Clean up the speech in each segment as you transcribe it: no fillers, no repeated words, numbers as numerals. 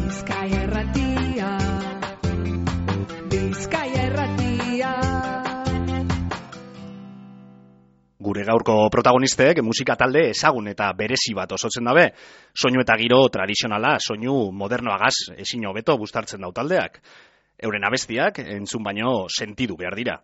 Bizkaia Irratia, Bizkaia Irratia. Gure gaurko protagonistek musika talde ezagun eta berezi bat osotzen dabe. Soinu eta giro tradizionala, soinu modernoagaz ezin hobeto bustartzen dau taldeak. Euren abestiak entzun baino sentidu behar dira.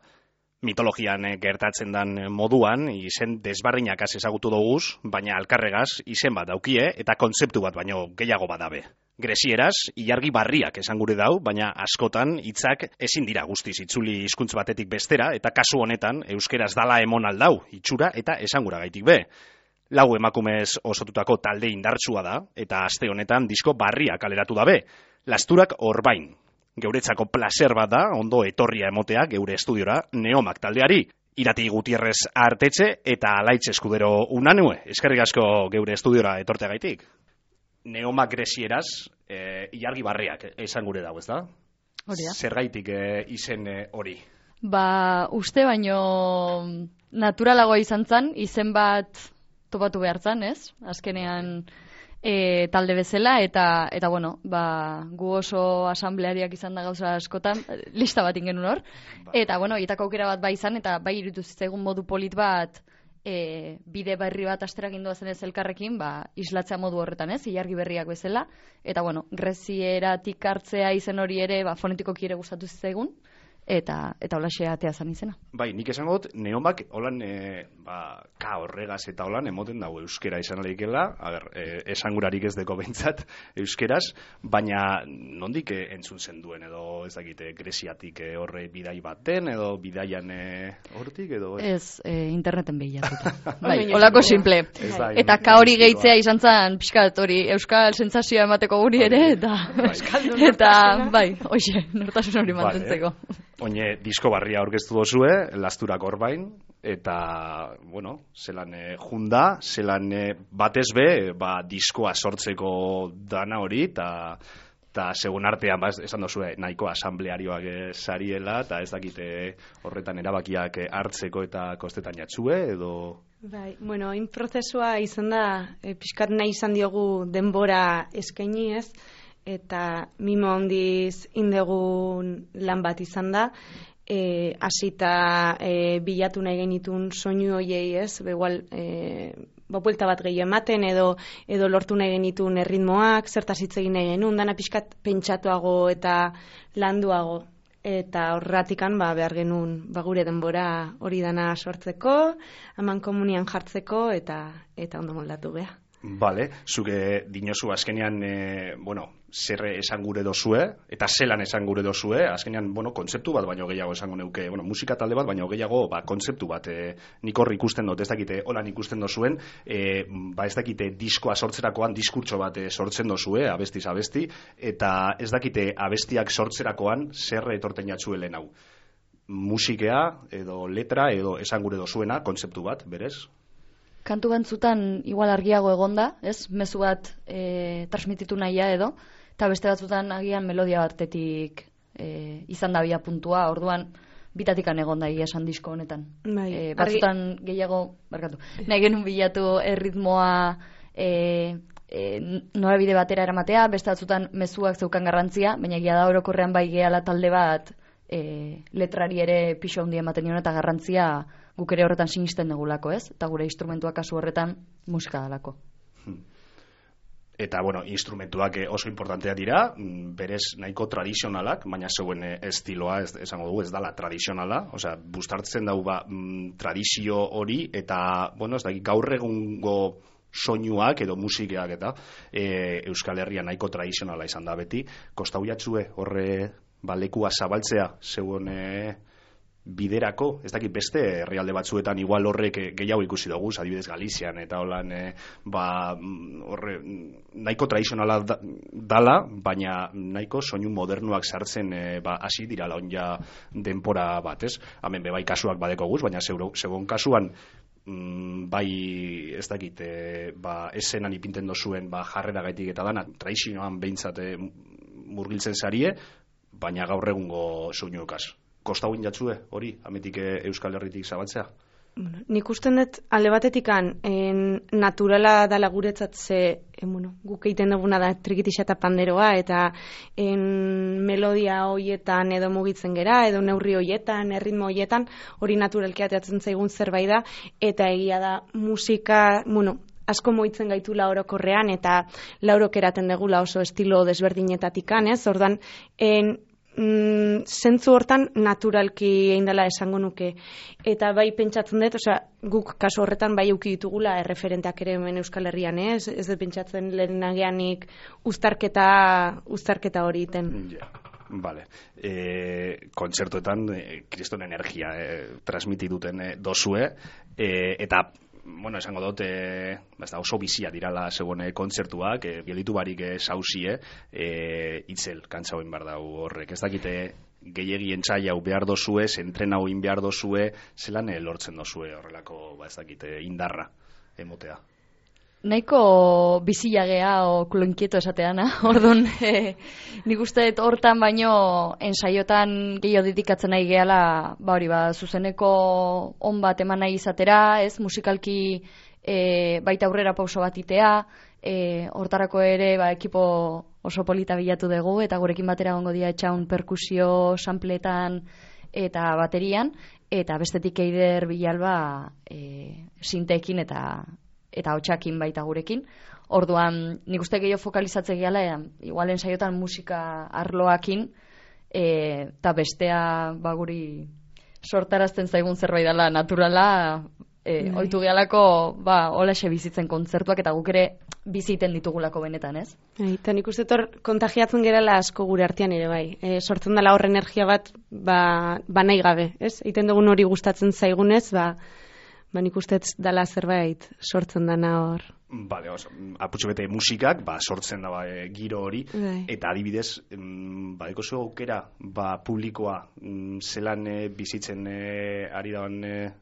Mitologian gertatzen dan moduan izen desbarrinakaz ezagutu doguz, baina alkarregaz izen bat daukie eta kontzeptu bat baino gehiago badabe. Grezieraz, ilargi barriak esan gure dau, baina askotan hitzak ezin dira guztiz itzuli hizkuntz batetik bestera, eta kasu honetan euskeraz dala emon aldau, itxura eta esangura gaitik be. Lau emakumez osotutako talde indartsua da, eta aste honetan disko barria kaleratu dabe. Lasturak Orbain. Geuretzako placer bat da, ondo etorria emotea geure estudiora Neomak taldeari. Irati Gutierrez Artetxe eta Alaitz Eskudero Unanue. Eskerrik asko geure estudiora etorteagaitik. Neomak grezieraz, ilargi barriak esan gure dago, ez da? Hori da. Zergaitik izen hori? Uste baino naturalagoa izan zen, izen bat topatu behar zen, ez? Azkenean talde bezala, eta bueno, gu oso asambleariak izan da gauza askotan, lista bat ingen hor. Eta bueno, itako aukera bat bai izan, eta bai irutu zitzaigun modu polit bat, bide berri bat asterakin doazen ez elkarrekin, islatzea modu horretan ez, ilargi berriak bezala. Eta bueno, grezieratik hartzea izen hori ere, fonetikoki ere gustatu zitzaigun, eta holaxe atea zan izena. Bai, nik esango dut, Neomak holan, ka horregaz eta holan emoten dago euskera izan aleikela, esangurarik ez deko behintzat euskeraz, baina nondik entzun zen duen, edo ez dakite greziatik horre bidai baten, edo bidaian hortik, edo... Ez, interneten behilatuta. Bai, holako simple. Eta ka hori gehitzea izan zen, pixkat hori, euskal sentsazioa emateko guri ere, eta bai, hoxe, nortasun hori mantentzeko. Oine, disko barria aurkeztu dozue, Lasturak Orbain, eta, bueno, zelan junda, zelan batez be, diskoa sortzeko dana hori, eta segun artean, esan dozue, nahiko asamblearioak sariela, eta ez dakite horretan erabakiak hartzeko eta kostetan jatzue, edo... Bai, bueno, hain prozesua izan da, pixkat nahi izan diogu denbora eskaini ez, eta mimo handiz indegun lan bat izan da, hasita bilatu nahi genitun soinu hoiei ez, igual buelta bat gehi ematen edo lortu nahi genitun erritmoak, zertaz hitz egin nahi genuen, dana pixkat pentsatuago eta landuago. Eta horratikan behar genuen gure denbora hori dana sortzeko, haman komunian jartzeko eta ondo moldatu beha. Bale, zuke dinozu azkenean, zer esan gure dozue, eta zelan esan gure dozue, azkenean, kontzeptu bat baino gehiago esango neuke, musika talde bat baino gehiago, kontzeptu bat, nik horri ikusten dut, ez dakite, holan ikusten dozuen, ez dakite diskoa sortzerakoan diskurtso bat sortzen dozue, abestiz abesti, eta ez dakite abestiak sortzerakoan zer etorten jatzuelen hau. Musikea, edo letra, edo esan gure dozuena, kontzeptu bat, berez? Kantu bantzutan igual argiago egonda, ez? Mezu bat transmititu nahia edo, eta beste batzutan agian melodia batetik izan da bia puntua, orduan bitatikan egonda esan disko honetan. Batzutan gehiago, nahi genuen bilatu erritmoa norabide batera eramatea, beste batzutan mezuak zeukan garrantzia, baina egia da orokorrean bai gehala talde bat letrari ere pixo handi ematen nion eta garrantzia guk ere horretan sinisten degulako, ez? Eta gure instrumentuak kasu horretan musika dalako. Eta, instrumentuak oso importantea dira, berez nahiko tradizionalak, baina zeuen estiloa, esango dugu, ez dala tradizionala, osea, bustartzen dau tradizio hori, eta, ez da, gaur egungo soinuak edo musikeak eta Euskal Herria nahiko tradizionala izan da beti, kostau jatzue horre lekua zabaltzea zeuen biderako, ez dakit beste herrialde batzuetan igual horrek gehiago ikusi dugu, adibidez Galizian eta holan horre nahiko tradizionala dala, baina nahiko soinu modernuak sartzen hasi dira launja denpora bat, ez? Hemen bebai kasuak badeko guz, baina segon kasuan bai ez dakit esenan ipinten dozuen jarrera gaitik eta dana tradizioan behintzat murgiltzen zarie, baina gaur egungo soinuekaz. Kostauin jatzue hori, ametik Euskal Herritik zabaltzea? Nik usten dut alde batetikan naturala dala guretzat ze guk egiten duguna da trikitixa eta panderoa eta melodia hoietan edo mugitzen gera edo neurri hoietan, erritmo hoietan hori naturalki ateratzen zaigun zerbait da eta egia da musika, asko moitzen gaitula orokorrean eta laurok eraten degula oso estilo desberdinetatikan, ez? Ordan zentzu hortan naturalki egin dela esango nuke eta bai pentsatzen dut, guk kasu horretan bai eduki ditugula erreferenteak ere hemen Euskal Herrian, ez dut pentsatzen lehenagianik uztarketa hori iten. Vale. Kontzertuetan kriston energia transmiti duten dozue eta esango dut, oso bizia dirala zegoen kontzertuak, gelditu barik sausie, itzel, kantzauen behar dau horrek. Ez dakite gehiegi entzai hau behar dozue, zentren hau behar dozue, zelan lortzen dozue horrelako, ez dakite, indarra emotea. Nahiko bizilagea o klonkieto esateana, orduan nik uste hortan baino ensaiotan gehiago dedikatzen nahi gehala, zuzeneko on bat eman nahi izatera, ez musikalki baita aurrera pauso bat itea, hortarako ere ekipo oso polita bilatu dugu, eta gurekin batera gongo dia etxaun perkusio, sampletan eta baterian, eta bestetik eider bilalba sinteekin eta hotxakin baita gurekin. Orduan, nik uste gehiago fokalizatzen gehala, igual ensaiotan musika arloakin, eta bestea guri sortarazten zaigun zerbait dela naturala, oitu gehalako holaxe bizitzen kontzertuak, eta guk ere biziten ditugulako benetan, ez? Eta nik uste kontagiatzen gerala asko gure artean ere bai. Sortzen dela hor energia bat, nahi gabe, ez? Egiten dugun hori gustatzen zaigunez, nik uste dela zerbait sortzen dana hor. Bale, aputxo bete musikak, sortzen da giro hori, eta adibidez, badeko zu aukera, publikoa zelan bizitzen ari dagoen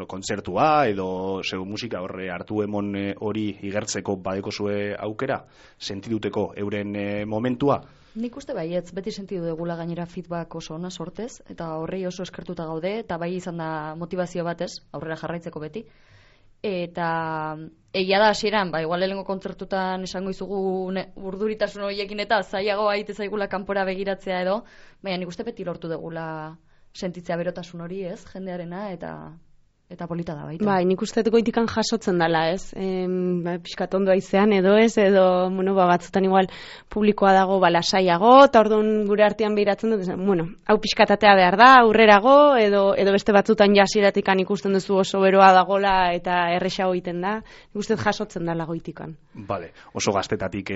kontzertua, edo musika horre hartu emon hori igertzeko badeko zue aukera, sentiduteko euren momentua? Nik uste baietz, beti sentidu degula gainera feedback oso ona sortez, eta horrei oso eskertuta gaude, eta bai izan da motivazio batez, aurrera jarraitzeko beti. Eta egia da hasieran, igual lehengo kontzertutan esango izugu urduritasun horiekin eta zailago aite zaigula kanpora begiratzea edo, baina nik uste beti lortu degula sentitzea berotasun hori, ez, jendearena, eta polita da baita. Nik uste goitikan jasotzen dela, ez? Piskat ondo aizean edo ez, edo, batzutan igual publikoa dago lasaiago, eta orduan gure artean behiratzen dut, hau piskatatea behar da, aurrerago, edo beste batzutan jasiratikan ikusten duzu oso beroa dagola eta erresago egiten da. Nik uste jasotzen dela goitikan. Bale, oso gaztetatik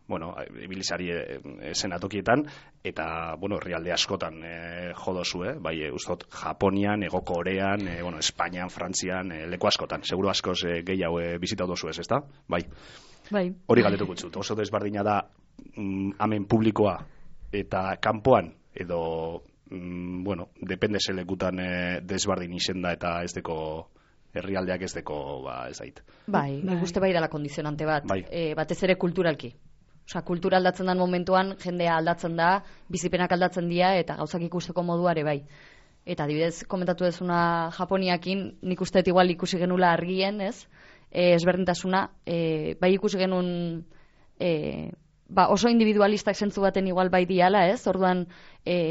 ibilizari zenatokietan, eta, herrialde askotan jodozu, bai, ustot, Japonian, Hego Korean, Espainian, Frantzian, leku askotan, seguru askoz gehiago bizitatu dozu ez, ezta? Bai. Hori galdetuko txut, oso desbardina da hemen publikoa eta kanpoan, edo, depende zelekutan desbardin izen da eta ez deko herrialdeak ez deko, ez dait. Nik uste bai dela kondizionante bat, batez ere kulturalki. Kultura aldatzen den momentuan, jendea aldatzen da, bizipenak aldatzen dira, eta gauzak ikusteko moduare bai. Eta adibidez, komentatu dezuna Japoniakin, nik uste igual ikusi genula argien, ez? Ezberdintasuna, bai ikusi genuen oso individualistak zentzu baten igual bai diala, ez? Orduan,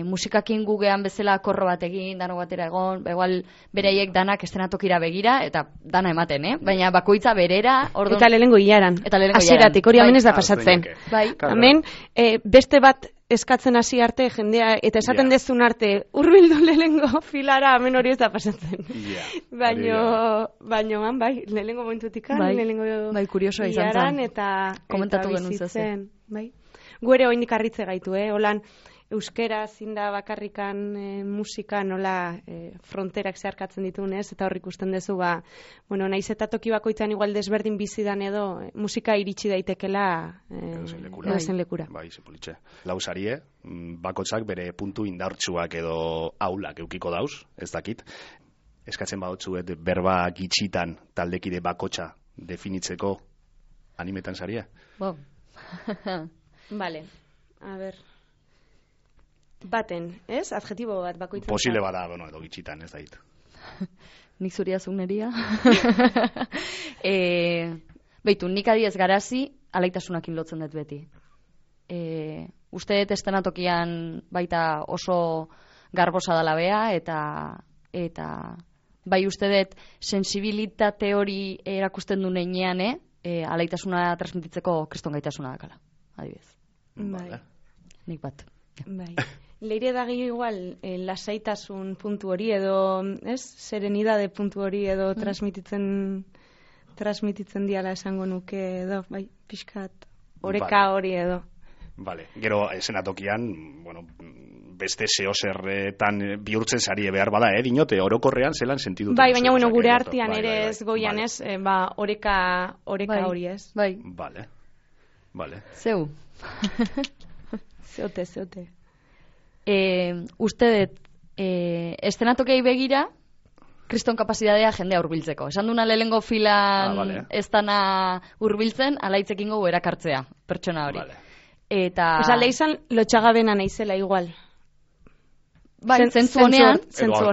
musikakin gugean bezala korro bat egin, dano batera egon, igual bereiek danak estenatokira begira, eta dana ematen, baina bakoitza berera, orduan... Eta lehengo hilaran. Hasieratik, hori hemen ez da pasatzen. Hemen, beste bat eskatzen hasi arte, jendea, eta esaten dezun arte, hurbildu lehengo filara, hemen hori ez da pasatzen. Baina, lehengo momentutikan, lehengo kuriosoa izan zen. Eta komentatu genuen zezen. Guere oindik arritze gaitu, holan, euskera zinda bakarrikan musika nola fronterak zeharkatzen ditunez, eta hor ikusten dezu, naiz eta toki bakoitzan igual desberdin bizidan edo, musika iritsi daitekela edozein lekura. Bai, zepolitxe. Lausarie, bakotzak bere puntu indartsuak edo aulak eukiko dauz, ez dakit. Eskatzen badotzuet berba gitxitan taldekide bakotxa definitzeko animetan saria? Vale, a ber... Baten, ez? Adjetibo bat bakoitzen. Posible bada, edo gitxitan, ez da hit. nik zuria zuneria. Beitu, nik adiez garazi, alaitasunakin lotzen dut beti. Uste dut estenatokian baita oso garbosa dela bea, eta bai uste dut sensibilitate hori erakusten du neinean, alaitasuna transmititzeko kriston gaitasuna dakala, adibidez. Bai. Nik bat. Bai. Leire da gehiago igual lasaitasun puntu hori edo, ez? Serenidade puntu hori edo transmititzen diala esango nuke edo, bai, pixkat oreka hori edo. Vale. Gero esenatokian, bueno, beste zeozerretan bihurtzen sari behar bada, dinote, orokorrean zelan sentidu. Bai, baina bueno, gure artean ere ez goian ez, oreka hori ez. Bai. Vale. Zeu. Zeote. Uste dut, estenatokei begira, kriston kapazitatea jendea hurbiltzeko. Esan duna lehengo filan ez dana hurbiltzen, alaitzekingo erakartzea, pertsona hori. Vale. Eta... Osa, lehizan lotxagabena naizela igual. Bai, zentzu honean. Zentzu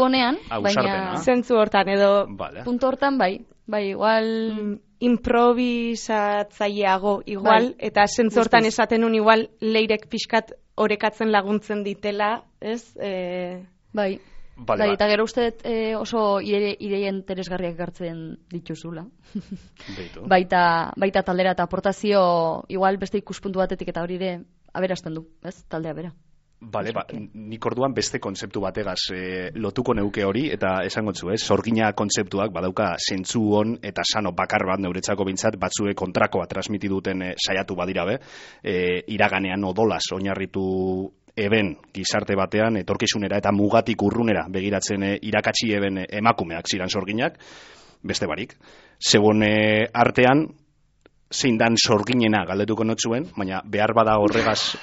honean, baina... Zentzu hortan, edo... Punto hortan, bai, igual... Improvisatzaileago igual, eta zentzu hortan esaten un igual leirek pixkat orekatzen laguntzen ditela, ez? Bai, eta gero uste oso ideia interesgarriak gartzen dituzula. Baita taldera eta aportazio igual beste ikuspuntu batetik eta hori ere aberasten du, ez? Taldea bera. Bale, nik orduan beste kontzeptu bategaz lotuko neuke hori, eta esango zu, sorgina kontzeptuak badauka zentzu hon eta sano bakar bat neuretzako bintzat, batzue kontrakoa transmiti duten saiatu badira be, iraganean odolas oinarritu eben gizarte batean, etorkizunera eta mugatik urrunera begiratzen irakatsi eben emakumeak ziran sorginak, beste barik. Zegoen artean, zein dan sorginena galdetuko notzuen, baina behar bada horregaz...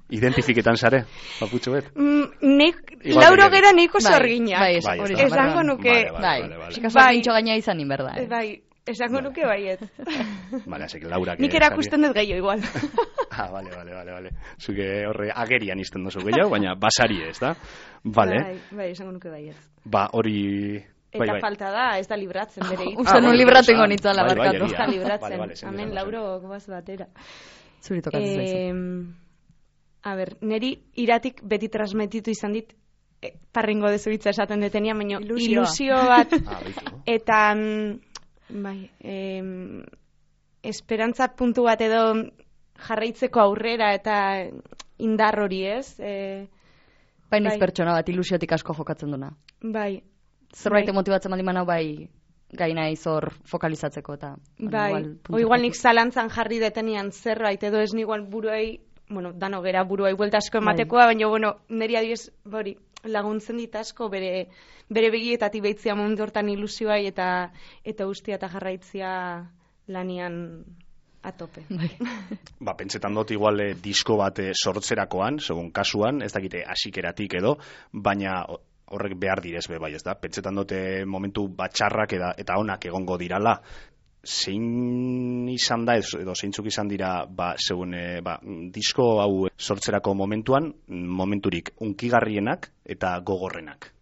Identifiketan zare, paputxo bet? Lauro gera neiko sorgina. Bai, esango nuke... Bai, sorgintxo gaina izan inberda. Bai, esango nuke baiet. Vale, así que Laura... Nik erakusten dut gehiago igual. Vale. Zuke horre agerian izten dozu gehiago, baina basari ez, da? Vale. Bai, esango nuke baiet. Ba, hori... Eta falta da, ez da libratzen bere hitz. Uste nun libratengo nintzen Ez labarkatu. da libratzen. Hemen Lauro goaz batera. Zuri tokatzen zaizu. A ber, neri iratik beti transmititu izan dit, parringo dezuritza esaten detenia, baina ilusio bat, eta, bai, esperantza puntu bat edo jarraitzeko aurrera eta indar hori ez. Baina pertsona bat ilusiotik asko jokatzen duna. Bai. Zerbait motibatzen baldin manau, bai, gaina izor fokalizatzeko eta... Bai, igual nik zalantzan jarri detenian zerbait edo ez igual buruei, bueno, dano gera buruai buelta asko ematekoa, baina, bueno, niri adiez, laguntzen dit asko bere begietatik behitzia mundu hortan ilusioai eta ustia eta jarraitzia lanian atope. Ba, pentsetan dut igual disko bat sortzerakoan, segun kasuan, ez dakite hasikeratik edo, baina horrek behar direz be bai, ez da? Pentsetan dut momentu batxarrak eta onak egongo dirala, zein izan da edo zeintzuk izan dira disko hau sortzerako momenturik unkigarrienak eta gogorrenak?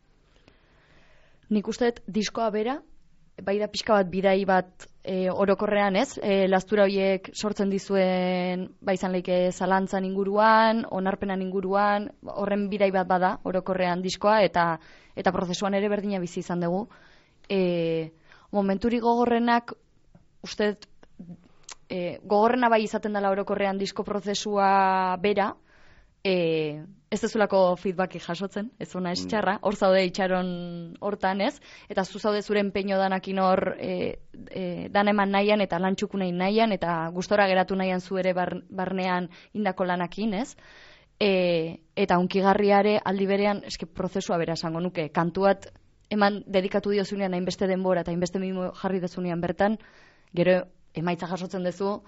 Nik uste dut diskoa bera, bai da pixka bat bidai bat orokorrean ez, lastura horiek sortzen dizuen izan leike zalantzan inguruan, onarpenan inguruan, horren bidai bat bada orokorrean diskoa eta prozesuan ere berdina bizi izan dugu. Momenturik gogorrenak uste gogorrena bai izaten dela orokorrean disko prozesua bera, ez dezulako feedbacki jasotzen, ez ona ez txarra, hor zaude itxaron hortan ez, eta zu zaude zure empeño danakin hor dan eman nahian eta lantxuku nahian eta gustora geratu nahian zu ere barnean indako lanakin ez, eta unkigarriare aldi berean eske prozesua bera esango nuke, kantuat eman dedikatu diozunean hainbeste denbora eta hainbeste mimo jarri dezunean bertan, gero emaitza jasotzen duzu,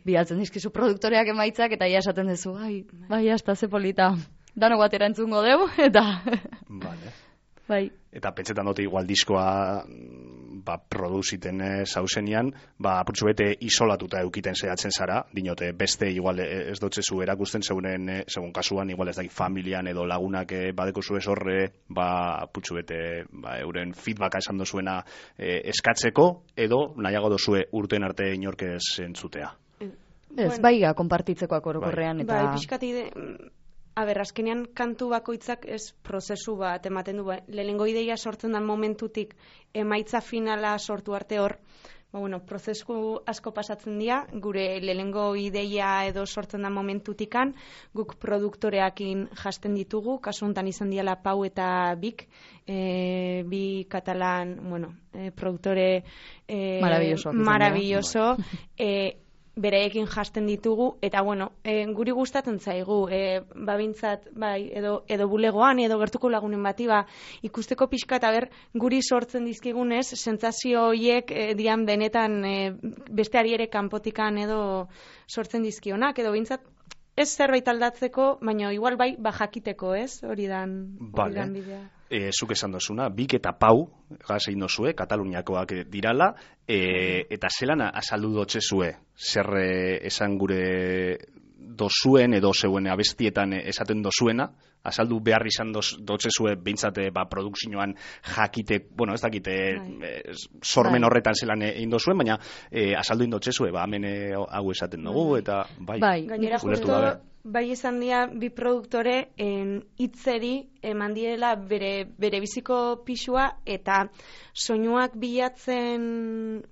bidaltzen dizkizu produktoreak emaitzak, eta ia esaten duzu, bai, hasta ze polita, dano batera entzungo deu, eta... Vale. Bai. Eta pentsetan dute igual diskoa produziten zauzenian, apurtxu bete isolatuta eukiten zehatzen zara, dinote beste igual ez dotzezu erakusten segun kasuan, igual ez da familian edo lagunak badeko zuez horre, apurtxu bete euren feedbacka esan dozuena eskatzeko, edo nahiago dozue urten arte inorkez entzutea. Ez, baiga, konpartitzekoak orokorrean, eta... Bai, pixkati azkenean kantu bakoitzak ez prozesu bat ematen du. Lehenengo ideia sortzen den momentutik emaitza finala sortu arte hor, prozesu asko pasatzen dira, gure lehenengo ideia edo sortzen den momentutikan, guk produktoreakin jasten ditugu, kasu honetan izan diala Pau eta Bik, bi katalan, produktore maravilloso, bereekin jasten ditugu, eta guri gustatzen zaigu, babintzat, edo bulegoan, edo gertuko lagunen bati, ikusteko pixka eta guri sortzen dizkigunez, sentsazio horiek dian benetan besteari ere kanpotikan edo sortzen dizkionak, edo bintzat ez zerbait aldatzeko, baina igual jakiteko, ez? Hori dan bidea. Zuk esan dozuna, Bik eta Pau, gazein dozue, Kataluniakoak dirala, eta zelan azaldu dotzezue, zer esan gure dozuen edo zeuen abestietan esaten dozuena, azaldu behar izan dotzezue behintzate produkzioan jakite, ez dakite sormen horretan zelan egin dozuen, baina azaldu indotzezue, hemen hau esaten dugu, eta gainera justo bai izan dira bi produktore hitzeri eman direla bere biziko pisua eta soinuak bilatzen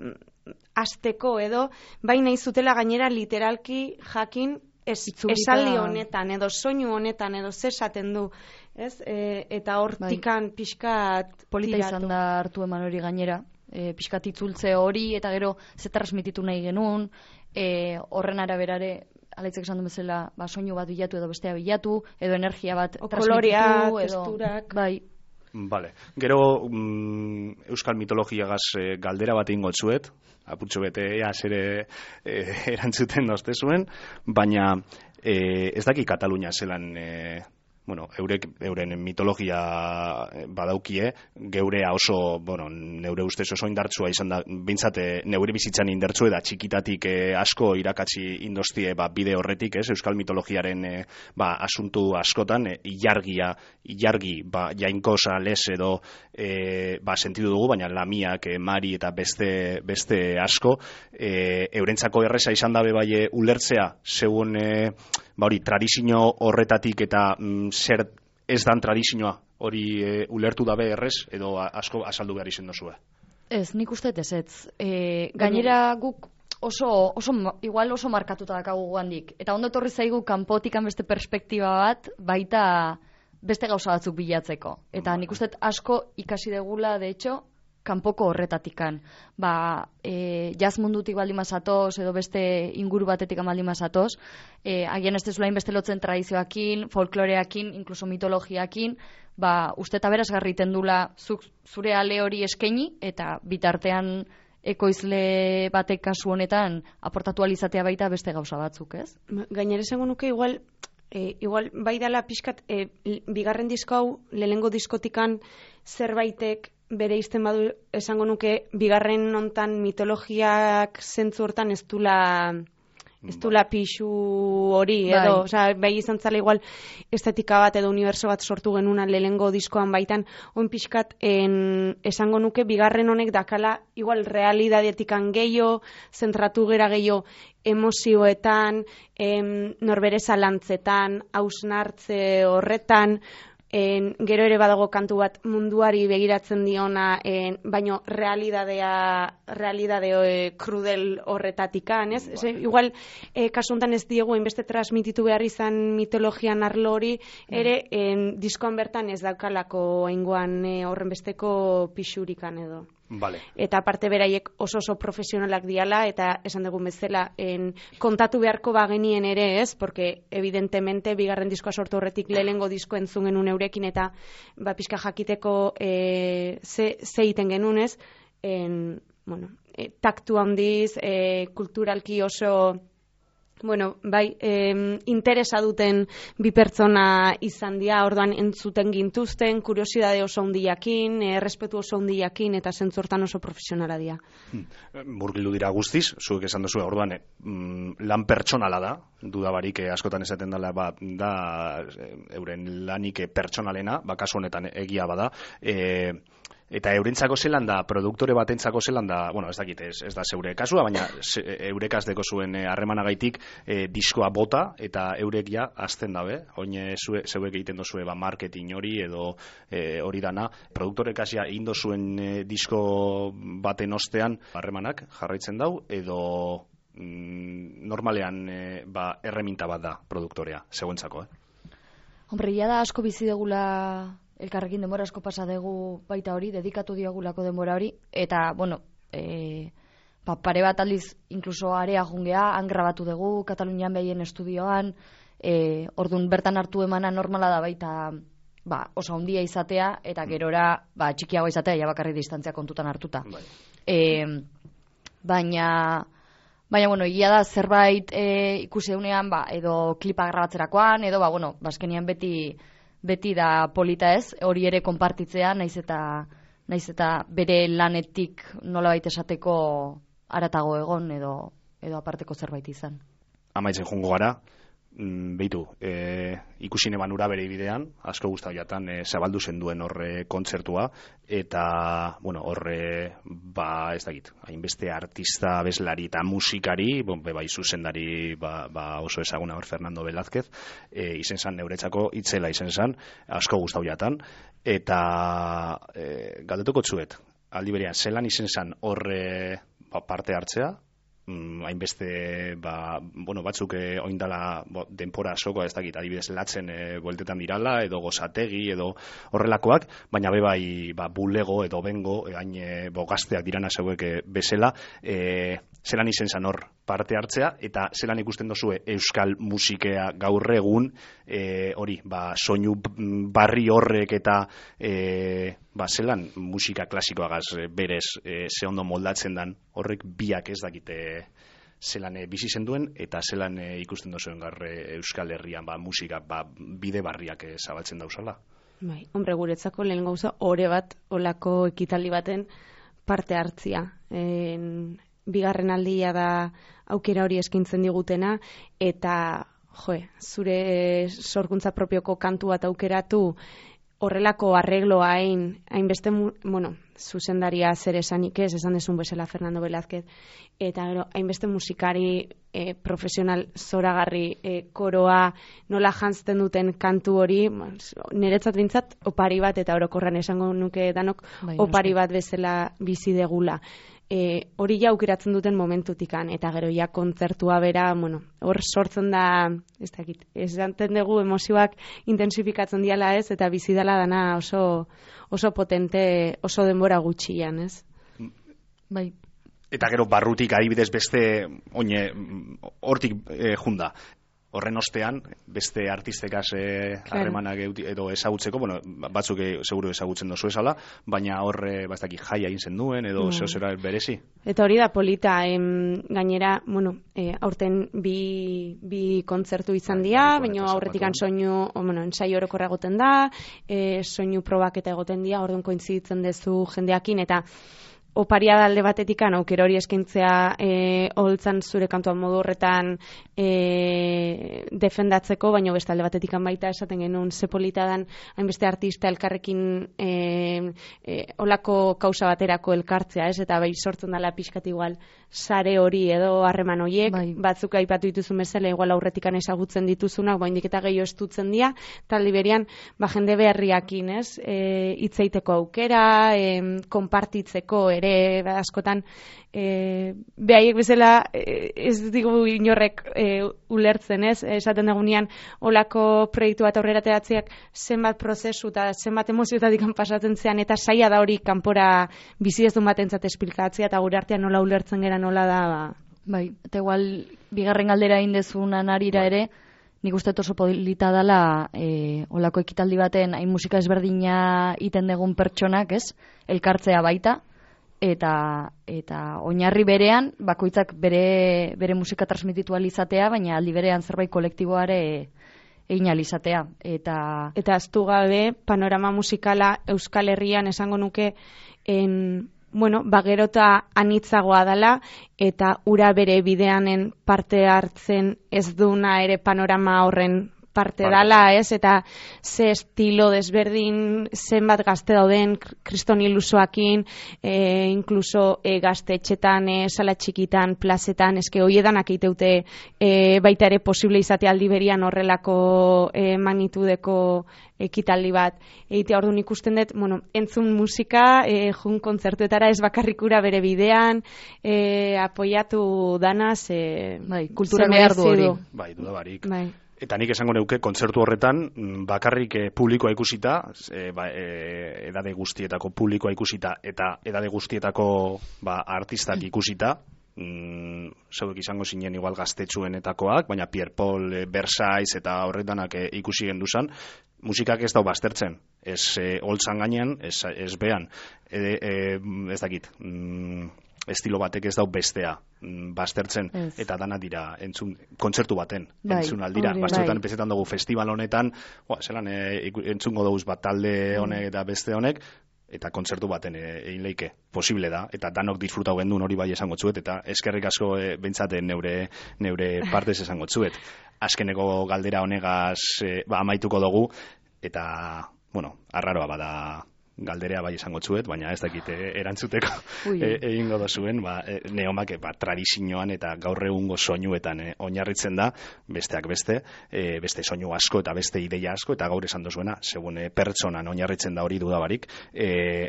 hasteko edo bai nahi zutela gainera literalki jakin esaldi honetan edo soinu honetan edo ze esaten du, ez? Eta hortikan pixkat polita izan da hartu eman hori gainera, pixkat itzultze hori eta gero ze transmititu nahi genuen, horren araberare alaitzek esan du bezala, soinu bat bilatu edo bestea bilatu, edo energia bat transmititu, testurak. Bai. Vale. Gero euskal mitologiagaz galdera bat ingo txuet, apurtxo bete zere erantzuten dozte zuen, baina ez daki Katalunia zelan euren mitologia badaukie, geurea oso, neure ustez oso indartsua izan da, bintzate neure bizitzan indartsu eta txikitatik asko irakatsi indostie bide horretik, euskal mitologiaren asuntu askotan, ilargi jainkosa les edo sentidu dugu, baina lamiak, mari eta beste asko, eurentzako erreza izan dabe bai ulertzea, zeuen tradizio horretatik eta zer ez dan tradizioa hori ulertu dabe errez edo asko azaldu behar izen dozue? Ez, nik uste ez. Gainera guk igual oso markatuta dakagu guandik. Eta ondo etorri zaigu kanpotikan beste perspektiba bat baita beste gauza batzuk bilatzeko. Eta nik uste asko ikasi degula, de hecho, kanpoko horretatikan. Jazz mundutik baldin mazatoz, edo beste inguru batetik baldin mazatoz, agian ez dezulain beste lotzen tradizioakin, folkloreakin, inkluso mitologiakin, uste eta berazgarri tendula zure ale hori eskaini, eta bitartean ekoizle batek kasu honetan aportatu alizatea baita beste gauza batzuk, ez? Gainera esango nuke igual bai dala pixkat bigarren disko hau lehenengo diskotikan zerbaitek bere izten badu esango nuke bigarren hontan mitologiak zentzu hortan ez dula pixu hori edo, bai izan zala igual estetika bat edo uniberso bat sortu genuna lehenengo diskoan baitan, oin pixkat esango nuke bigarren honek dakala igual realidadetikan gehiago, zentratu gera gehiago emozioetan, norbere zalantzetan, hausnartze horretan, gero ere badago kantu bat munduari begiratzen diona, baino realidade krudel horretatikan, ez? Igual, kasu honetan ez diegu hainbeste transmititu behar izan mitologian arlo hori, ere diskoan bertan ez daukalako aingoan horren besteko pixurikan edo. Vale. Eta aparte beraiek oso profesionalak diala, eta esan dugun bezala kontatu beharko bagenien ere, ez? Porque evidentemente bigarren diskoa sortu horretik lehenengo disko entzun genuen eurekin eta pixka jakiteko ze egiten genuen, ez? Taktu handiz, kulturalki oso Bueno, bai, interesa duten bi pertsona izan dira, orduan entzuten gintuzten, kuriosidade oso handiakin, errespetu oso handiakin, eta zentzortan oso profesionala dira. Murgildu dira guztiz, zuek esan duzu, orduan, lan pertsonala da, dudabarik askotan esaten dela, da euren lanik pertsonalena, kasu honetan egia bada, eta eurentzako zelan da, produktore batentzako zelan da, bueno, ez dakit, ez da zeure kasua, baina eurekaz deko zuen harremanagaitik diskoa bota, eta eurek ja azten dabe, oin zeuek egiten dozue marketing hori, edo hori dana, produktore kasia indo zuen disko baten ostean harremanak jarraitzen dau, edo normalean erreminta bat da produktorea, zeuentzako, Hombre, ia da asko bizi degula elkarrekin denbora asko pasa dugu baita hori, dedikatu diagulako denbora hori, eta, bueno, pare bat aldiz inkluso area jungea, han grabatu dugu, Katalunian behien estudioan, orduan bertan hartu emana normala da baita oso handia izatea, eta gerora txikiago izatea, ja bakarrik distantzia kontutan hartuta. Baina, bueno, egia da zerbait ikusi deunean, edo klipa grabatzerakoan, edo, azkenian beti da polita ez, hori ere konpartitzea, naiz eta bere lanetik nolabait esateko haratago egon edo aparteko zerbait izan. Amaitzen jungo gara, behitu, ikusi neban ura bere bidean, asko guztau jatan, zabaldu zen duen horre kontzertua, eta, bueno, horre, ez dakit, hainbeste artista, abeslari eta musikari, bai zuzendari oso ezaguna hor Fernando Velázquez, izen zan neuretzako itzela izen zan, asko guztau jatan, eta galdetuko txuet, aldi berean, zelan izen zan horre parte hartzea, hainbeste batzuk oindala denpora asoko, ez dakit, adibidez latzen bueltetan dirala, edo gozategi, edo horrelakoak, baina bai bulego edo bengo, hain gazteak dirana zeuek bezala, zelan izen zan hor parte hartzea, eta zelan ikusten dozue euskal musikea gaur egun, hori, soinu barri horrek eta zelan musika klasikoagaz berez ze ondo moldatzen dan, horrek biak ez dakite zelan bizi zenduen, eta zelan ikusten dozuen garre Euskal Herrian musika bide barriak zabaltzen dauzala. Bai, hombre, guretzako lehen gauza ore bat olako ekitaldi baten parte hartzia. Bigarren aldia da aukera hori eskintzen digutena, eta zure sorkuntza propioko kantu bat aukeratu, horrelako arregloa hainbeste, zuzendaria zer esanik ez, esan desun bezala Fernando Velázquez, eta gero, hainbeste musikari profesional zoragarri koroa nola jantzten duten kantu hori, niretzat bintzat opari bat, eta orokorran esango nuke danok opari bat bezala bizi degula. Hori ja aukeratzen duten momentutikan, eta gero ja kontzertua bera, hor sortzen da, ez dakit, ez danten dugu emozioak intensifikatzen diala ez, eta bizi dela dana oso potente, oso denbora gutxian, ez? Bai. Eta gero barrutik adibidez beste, hortik junda. Horren ostean, beste artistekaz harremanak edo ezagutzeko, batzuk seguru ezagutzen dozu esala, baina horre jaia egin zen duen, edo zera berezi. Eta hori da polita, gainera, aurten bi kontzertu izan dira, baina aurretikan soinu, ensaio orokorra egoten da, soinu probak eta egoten dira, orduan kointziditzen dezu jendeakin, eta oparia da alde batetikan, aukero hori eskintzea holtzan zure kantuan modu horretan defendatzeko, baina beste alde batetikan baita esaten genuen zepolita dan hainbeste artista elkarrekin olako kausa baterako elkartzea, ez? Eta bai sortzen dela pixkat igual sare hori edo harreman horiek, batzuk aipatu dituzun bezala, igual aurretikan ezagutzen dituzunak, baindik eta gehiago estutzen dira, taldi berean, jende beharriakin, ez? Hitzeiteko aukera, konpartitzeko ere askotan behaiek bezala ez digu inorrek ulertzen, ez? Esaten dagunean olako proiektu bat aurrera teratzeak zenbat prozesu eta zenbat emozioetatik pasatzen zean, eta saia da hori kanpora bizi ez duen batentzat esplikatzea, eta gure artean nola ulertzen gera nola da. Bai, eta igual bigarren galdera indezunan arira ere, nik uste oso polita dela olako ekitaldi baten hain musika ezberdina iten degun pertsonak, ez? Elkartzea baita, eta oinarri berean bakoitzak bere musika transmititu ahal izatea, baina aldi berean zerbait kolektiboare egin ahal izatea. Eta ahaztu gabe panorama musikala Euskal Herrian esango nuke gero eta anitzagoa dela, eta ura bere bideanen parte hartzen ez duna ere panorama horren parte dala, ez? Eta ze estilo desberdin, zenbat gazte dauden, kriston ilusoakin, inkluso gaztetxetan, sala txikitan, plazetan, eske hoiedanak iteute baita ere posible izate aldi berian horrelako magnitudeko ekitaldi bat. Egitea orduan ikusten dut, entzun musika, jun kontzertuetara ez bakarrikura bere bidean, apoiatu danaz, kultura behar du hori. Bai, dudabarik. Eta nik esango neuke, kontzertu horretan, bakarrik publikoa ikusita, edade guztietako publikoa ikusita, eta edade guztietako artistak ikusita, zeuek izango zinen igual gaztetxuenetakoak, baina Pierre Paul, Versailles eta horretanak ikusi genduzan, musikak ez dau baztertzen, ez holtzan gainean, ez behan, ez dakit, estilo batek ez dau bestea baztertzen, eta dana dira kontzertu baten, entzun aldira. Batzuetan pezetan dugu festival honetan, zelan entzungo dugu bat talde honek eta beste honek, eta kontzertu baten egin leike, posible da, eta danok disfrutau gendun hori bai esango tzuet, eta eskerrik asko bentsaten neure partez esango tzuet. Azkeneko galdera honegaz amaituko dugu, eta, arraroa bada galderea bai esango tzuet, baina ez dakit erantzuteko egingo dozuen, neomak tradizioan eta gaur egungo soinuetan oinarritzen da, besteak beste soinu asko eta beste ideia asko, eta gaur esan dozuena, segun pertsonan oinarritzen da hori dudabarik,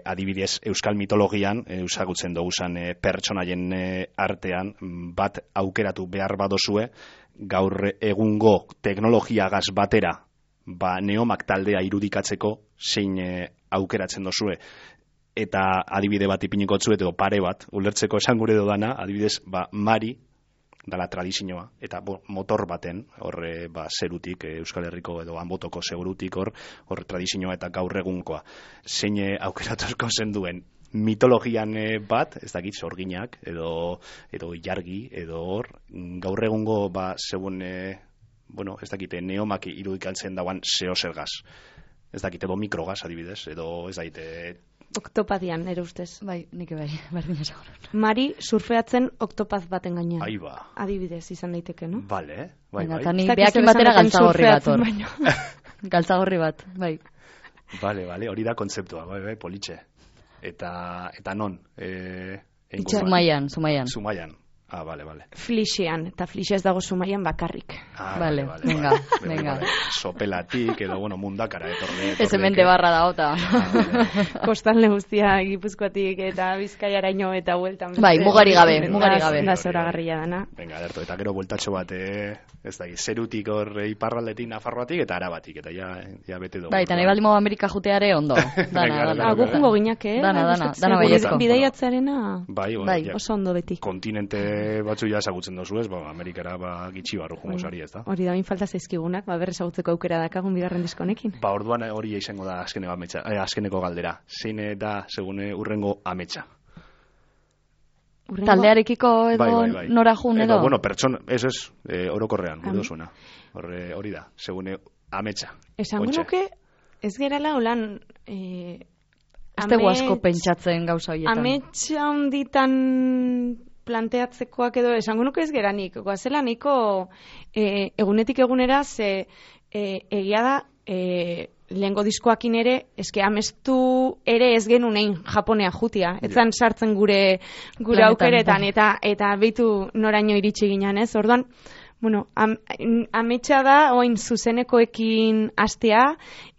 adibidez Euskal mitologian, ezagutzen doguzan pertsonaien artean, bat aukeratu behar badozue, gaur egungo teknologiagaz batera, neomak taldea irudikatzeko zein aukeratzen dozue, eta adibide bat ipiniko tzuet edo pare bat, ulertzeko esan gure dodana, adibidez, Mari, dala tradizioa, eta motor baten, horre zerutik, Euskal Herriko edo Anbotoko segurutik horre tradizioa eta gaur egunkoa. Zein aukeratuzko zen duen mitologian bat, ez dakit, sorginak, edo jargi, edo hor, gaur egungo, segun, ez dakite, neomak irudikatzen dauan zeo zergaz. Ez dakit, edo mikrogaz adibidez, edo ez dakit... Oktopadian, ere ustez. Bai, nik bai, berdin esan. Mari surfeatzen oktopaz baten gainean. Aiba. Adibidez izan daiteke, no? Bale, bai. Eta ni behakin batera galtzagorri bat hor. Galtzagorri bat, bai. Bale, hori da kontzeptua, bai, politxe. Eta non? Zumaian. Bale. Flixean, eta Flixe ez dago Zumaian bakarrik. Vale. Venga. Sopelatik, edo, mundakara etorri. Ez hemente barra da, ota. Kostalde guztia, Gipuzkoatik eta Bizkaiaraino eta bueltan. Bai, mugari gabe. Da zoragarria dana. Venga, derto, eta gero bueltatxo bat, ez da, zerutik hor iparraldetik, Nafarroatik eta Arabatik, eta ja bete dugu. Bai, eta nahi baldimo Amerika juteare ondo. Dana. Gukungo ginak, Dana baiezko. Bidaiatzearena, oso ondo beti. Kontinente batzu ja ezagutzen dozu ez, Amerikara gitxi barru jungo sari ez da. Hori da, min falta zaizkigunak, berrez ezagutzeko aukera dakagun bigarren diskonekin. Orduan hori izango da azkeneko galdera. Zein da, segun urrengo ametsa? Taldearekiko edo bai. nora jun edo? Pertson, ez, orokorrean, gudozuna. Hori da, segun ametsa. Esango nuke, ez gerala holan... Aztego asko pentsatzen gauza horietan. Ametsa honditan planteatzekoak edo esango nuke ez geranik. Goazela niko egunetik egunera egia da lehengo diskoakin ere eske amestu ere ez genunein Japonea jutia. Etzan sartzen gure aukeretan eta beitu noraino iritsi ginen, ez? Orduan, ametsa da oin zuzenekoekin hastea,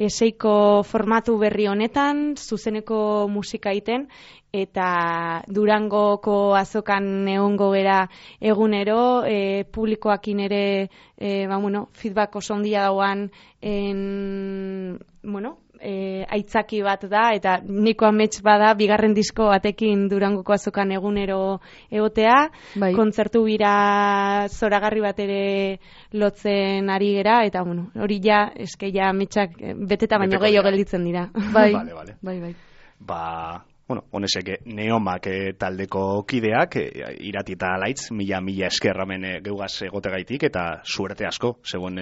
seiko formatu berri honetan, zuzeneko musika egiten, eta Durangoko azokan egongo bera egunero, publikoakin ere feedback oso ondia dauan aitzaki bat da, eta niko amets bada bigarren disko batekin Durangoko azokan egunero egotea, kontzertu bira zoragarri bat ere lotzen ari gera, eta hori eske ametsak beteta baino gehiago gelditzen dira. Bai. bueno, honesek Neomak taldeko kideak, Irati eta Alaitz, mila esker hemen geugaz egotegaitik, eta suerte asko, zegoen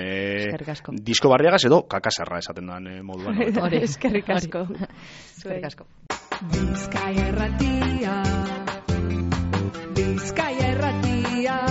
disko barriagaz edo kakasarra esaten duan moduan. Hori, eskerrik asko. Eskerrik asko. Bizkaia Erratia, Bizkaia Erratia.